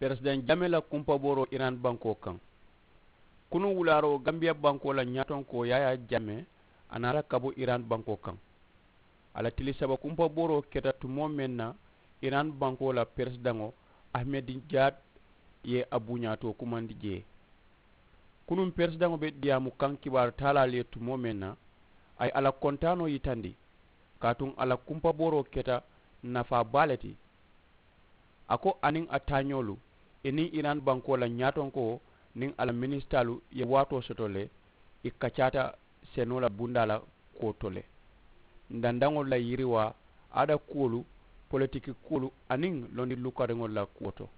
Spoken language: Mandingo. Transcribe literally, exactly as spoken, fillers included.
Peresidaŋ jame la kumpabooroo iran bankoo kaŋ. Kunuŋ wulaaroo gambiya bankoo la ñaatonkoo yaayaa jame a naata ka bo iran bankoo kaŋ. A la tili saba kumpabooroo keta tumoo meŋ na, iran bankoo la peresidaŋo ahmedinjaat ye a buuñaatoo kumandi jee. Kunuŋ peresidaŋo be diyaamu kaŋ kibaaru taalaalu ye tumoo meŋ na, a ye a la kontaanoo yitandi kaatuŋ a la kumpabooroo keta nafaa baa le ti. A ko a niŋ a taañoolu i niŋ iran bankoo la ñaatonkoo niŋ a la minisitaalu ye waatoo soto le. I kacaata senoo la bundaa la kuwo to le. Ndandaŋolu la yiriwaa, aada kuwolu, politiki kuwolu aniŋ londi lukariŋolu la kuwo to.